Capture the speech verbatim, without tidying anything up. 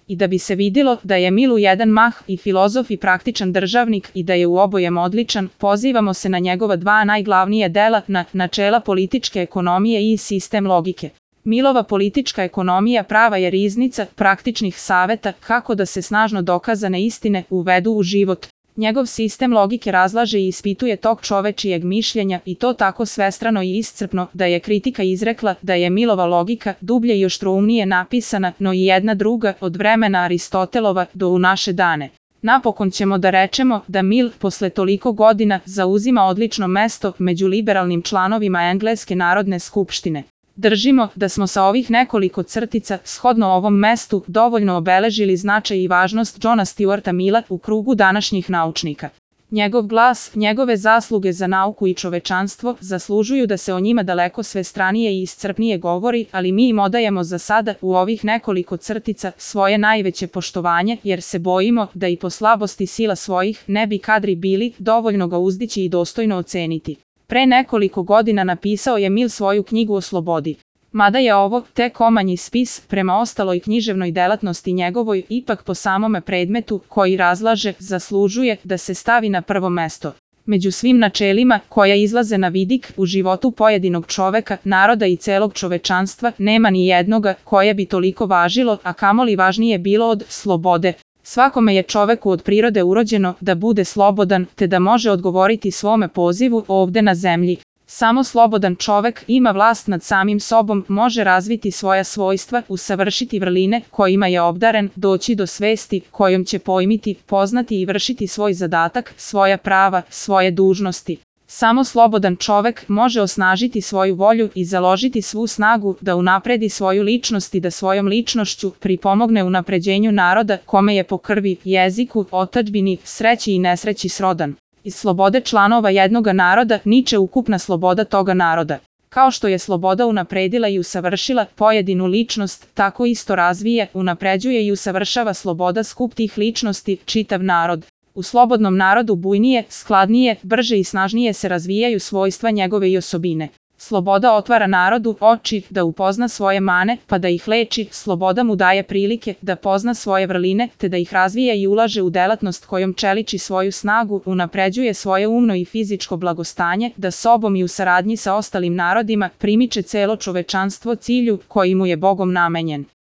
I da bi se vidilo da je Mil u jedan mah i filozof i praktičan državnik i da je u obojem odličan, pozivamo se na njegova dva najglavnija dela, na načela političke ekonomije i sistem logike. Milova politička ekonomija prava je riznica praktičnih saveta kako da se snažno dokazane istine uvedu u život. Njegov sistem logike razlaže i ispituje tok čovečijeg mišljenja i to tako svestrano i iscrpno da je kritika izrekla da je Milova logika dublje i oštroumnije napisana no i jedna druga od vremena Aristotelova do u naše dane. Napokon ćemo da rečemo da Mil posle toliko godina zauzima odlično mesto među liberalnim članovima Engleske narodne skupštine. Držimo da smo sa ovih nekoliko crtica, shodno ovom mestu, dovoljno obeležili značaj i važnost Johna Stuarta Mila u krugu današnjih naučnika. Njegov glas, njegove zasluge za nauku i čovečanstvo zaslužuju da se o njima daleko svestranije i iscrpnije govori, ali mi im odajemo za sada u ovih nekoliko crtica svoje najveće poštovanje, jer se bojimo da i po slabosti sila svojih ne bi kadri bili dovoljno ga uzdići i dostojno oceniti. Pre nekoliko godina napisao je Mil svoju knjigu o slobodi. Mada je ovo tek omanji spis, prema ostaloj književnoj delatnosti njegovoj, ipak po samome predmetu koji razlaže zaslužuje da se stavi na prvo mesto. Među svim načelima koja izlaze na vidik u životu pojedinog čoveka, naroda i celog čovečanstva nema ni jednoga koje bi toliko važilo, a kamoli važnije bilo od slobode. Svakome je čoveku od prirode urođeno da bude slobodan, te da može odgovoriti svome pozivu ovde na zemlji. Samo slobodan čovek ima vlast nad samim sobom, može razviti svoja svojstva, usavršiti vrline kojima je obdaren, doći do svesti kojom će pojmiti, poznati i vršiti svoj zadatak, svoja prava, svoje dužnosti. Samo slobodan čovek može osnažiti svoju volju i založiti svu snagu da unapredi svoju ličnost i da svojom ličnošću pripomogne unapređenju naroda kome je po krvi, jeziku, otadžbini, sreći i nesreći srodan. Iz slobode članova jednoga naroda niče ukupna sloboda toga naroda. Kao što je sloboda unapredila i usavršila pojedinu ličnost, tako isto razvije, unapređuje i usavršava sloboda skup tih ličnosti, čitav narod. U slobodnom narodu bujnije, skladnije, brže i snažnije se razvijaju svojstva njegove i osobine. Sloboda otvara narodu oči da upozna svoje mane, pa da ih leči, sloboda mu daje prilike da pozna svoje vrline, te da ih razvija i ulaže u delatnost kojom čeliči svoju snagu, unapređuje svoje umno i fizičko blagostanje, da sobom i u saradnji sa ostalim narodima primiče celo čovečanstvo cilju koji mu je Bogom namenjen.